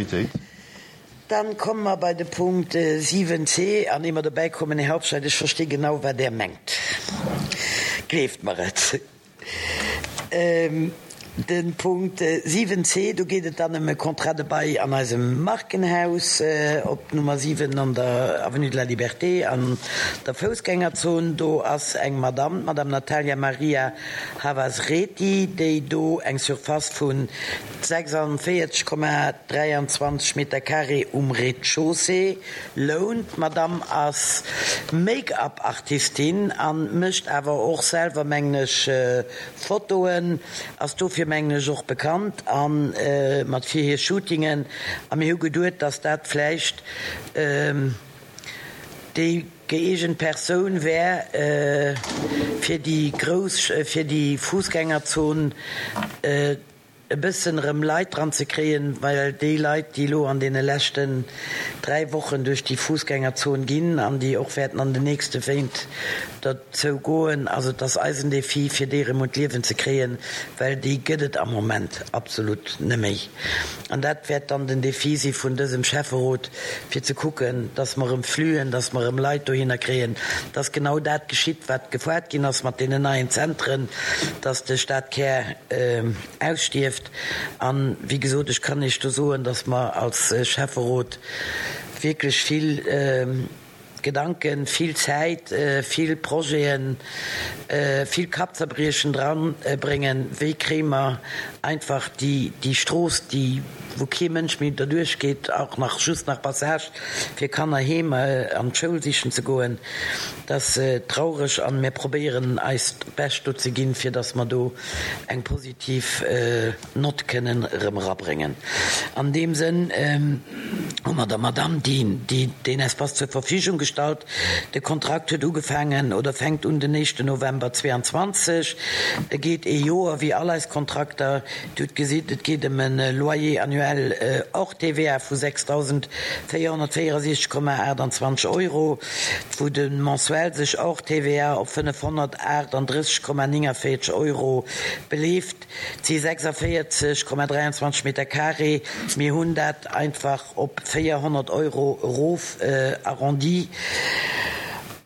Unanimitéit. Dann komme mer bei de Punkt 7c. An ier mer dobäi kommen, Här Hauptscheidt, ech versti genau, wat Der mengt. Gleeft mer et. De Punkt 7c, do geet et dann ëm e Contrat de bail an eisem Markenhaus op Nummer 7 an der Avenue de la Liberté an der Foussgängerzon. Do ass eng Madamm, d'Madame Natalia Maria Havasreti, déi do eng Surface vu 46,23 Meter carré um Rez-de-chaussée lount. D'Madame ass Make-up-Artistin a mécht awer och selwer, mengen ech, Fotoen, ass dofir, mengen ech, och bekannt a mat fir hir Shootingen. A mir hu geduet, dass dat vläicht déi gëeegent Persoun wär, fir déi grouss, fir déi Fussgängerzon e bëssen erëm Leit dran ze kréien, well déi Leit, déi elo an deene leschten 3 Wochen duerch déi Fussgängerzon ginn an déi och wäerten an den nächste Wéint derzou goen, also et ass eisen Défi, fir déi erëm un d'Liewen ze kréien, well déi gëtt et am Moment absolut neméi. An dat wäert dann den Défi si vun dësem Schäfferot, fir ze kucken, dass mer erëm Fluen, dass mer erëm Leit dohinner kréien, dass genau dat geschitt, wat gefoart ginn ass mat deenen neien Zentren, dass de Stadkär ausstierft. An, wéi gesot, ech kann Iech do soen, dass mer als Schäfferot wierklech vill Gedanken, vill Zäit, vill Projeten, vill Kappzerbriechen dran bréngen, wéi kréie mer einfach déi Strooss, déi wou kee Mënsch méi derduerch geet, och nach just nach Passage fir Kanner heem an d'Schoul sichen ze goen. Dat ass traureg an mir probéieren eist Bescht do ze ginn, fir dass mer do eng positiv Nott kënnen erëm erabréngen. An deem Sënn hu mer der Madamm déi deen Espace zur Verfügung gestallt. De Kontrakt huet ugefaangen oder fänkt un den éischten November 22. E geet ee Joer, wéi all eis Kontrakter. Dir hutt gesitt, et geet ëm e Loyer annuel hors TVA vu 6.464,28 Euro, wou de mensuel sech hors TVA op 538,49 Euro beleeft. Et si 46,23 Meter carré. Mir hunn dat einfach op 400 Euro erof arrondi.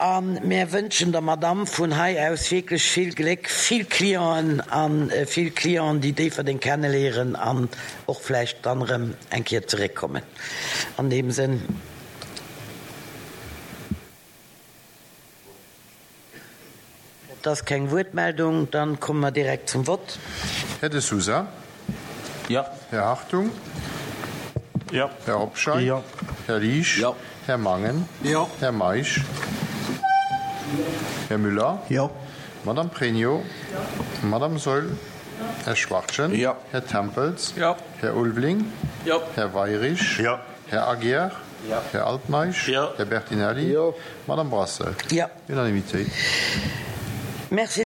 A mär wënschen der Madamm vun hei aus wierklech vill Gléck, vill Clienten a vill Clienten, déi Déifferdeng kenneléieren an och vläicht dann erëm eng Kéier zeréckkommen. An deem Sënn. Et ass keng Wuertmeldung, dann komme mer direkt zum Vott. Här De Sousa. Jo. Här Hartung. Jo. Här Hobscheit. Jo. Här Liesch. Jo. Här Mangen. Jo. Här Meisch. Här Müller. Jo. Madame Pregno. Jo. Madame Saeul. Här Schwachtgen. Jo. Här Tempels. Jo. Här Ulveling. Jo. Här Weirich. Jo. Här Aguiar. Jo. Här Altmeisch. Jo. Här Bertinelli. Jo. Madame Brasseur. Jo. Unanimitéit. Merci.